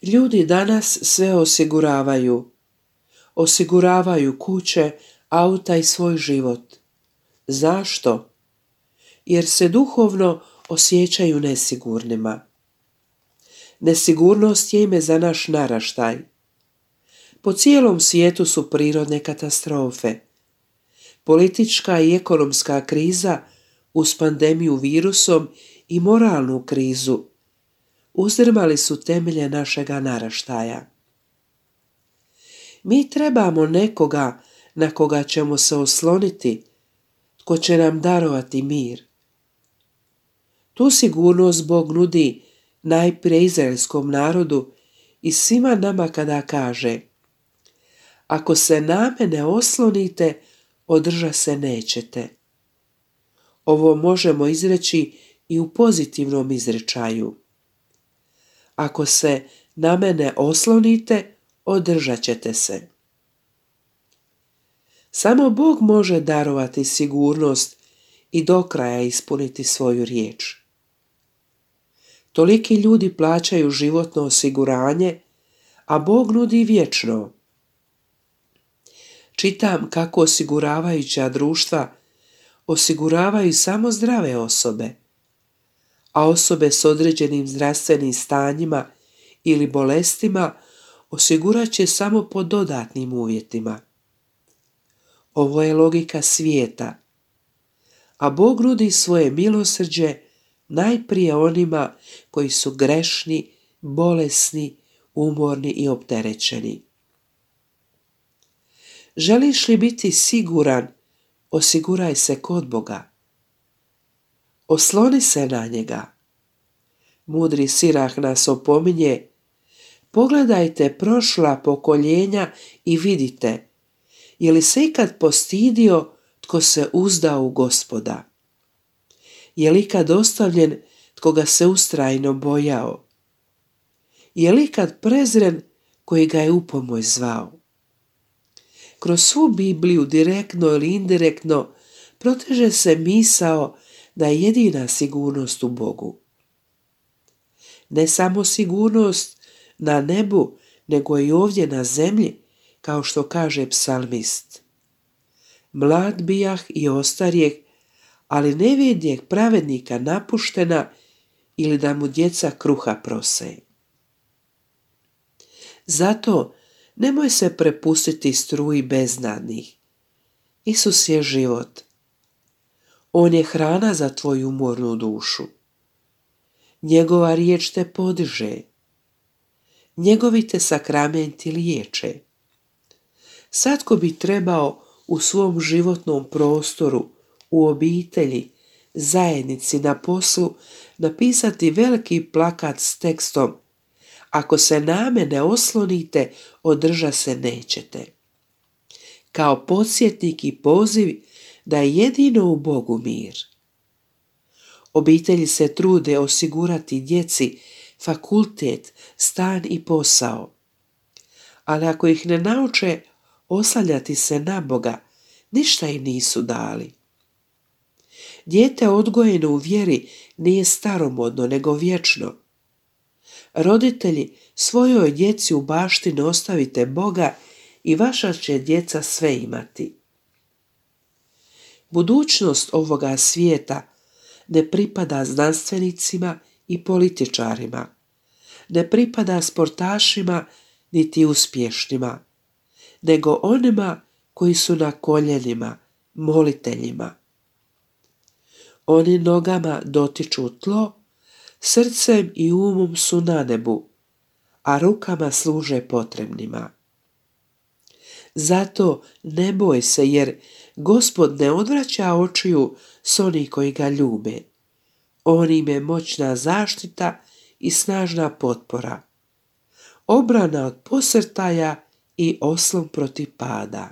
Ljudi danas sve osiguravaju. Osiguravaju kuće, auta i svoj život. Zašto? Jer se duhovno osjećaju nesigurnima. Nesigurnost je ime za naš naraštaj. Po cijelom svijetu su prirodne katastrofe. Politička i ekonomska kriza uz pandemiju virusom i moralnu krizu uzdrmali su temelje našega naraštaja. Mi trebamo nekoga na koga ćemo se osloniti, tko će nam darovati mir. Tu sigurnost Bog nudi najprije izraelskom narodu i svima nama kada kaže: ako se na mene oslonite, održat se nećete. Ovo možemo izreći i u pozitivnom izrečaju. Ako se na mene oslonite, održat ćete se. Samo Bog može darovati sigurnost i do kraja ispuniti svoju riječ. Toliki ljudi plaćaju životno osiguranje, a Bog nudi vječno. Čitam kako osiguravajuća društva osiguravaju samo zdrave osobe, a osobe s određenim zdravstvenim stanjima ili bolestima osigurat će samo pod dodatnim uvjetima. Ovo je logika svijeta, a Bog nudi svoje milosrđe najprije onima koji su grešni, bolesni, umorni i opterećeni. Želiš li biti siguran, osiguraj se kod Boga. Osloni se na njega. Mudri Sirah nas opominje: pogledajte prošla pokoljenja i vidite, je li se ikad postidio tko se uzdao u Gospoda? Je li ikad ostavljen tko ga se ustrajno bojao? Je li ikad prezren koji ga je upomoć zvao? Kroz svu Bibliju, direktno ili indirektno, proteže se misao da je jedina sigurnost u Bogu. Ne samo sigurnost na nebu, nego i ovdje na zemlji, kao što kaže psalmist. Mlad bijah i ostarjeh, ali ne vidjeh pravednika napuštena ili da mu djeca kruha prose. Zato nemoj se prepustiti struji beznadnih. Isus je život. On je hrana za tvoju umornu dušu. Njegova riječ te podiže. Njegovi te sakramenti liječe. Svatko bi trebao u svom životnom prostoru, u obitelji, zajednici, na poslu napisati veliki plakat s tekstom: ako se na mene oslonite, održat se nećete. Kao podsjetnik i poziv da je jedino u Bogu mir. Obitelji se trude osigurati djeci fakultet, stan i posao. Ali ako ih ne nauče oslanjati se na Boga, ništa im nisu dali. Dijete odgojeno u vjeri nije staromodno, nego vječno. Roditelji, svojoj djeci u baštinu ostavite Boga i vaša će djeca sve imati. Budućnost ovoga svijeta ne pripada znanstvenicima i političarima, ne pripada sportašima niti uspješnima, nego onima koji su na koljenima, moliteljima. Oni nogama dotiču tlo, srcem i umom su na nebu, a rukama služe potrebnima. Zato ne boj se, jer Gospod ne odvraća očiju s onih koji ga ljube. On im je moćna zaštita i snažna potpora, obrana od posrtaja i oslon protiv pada.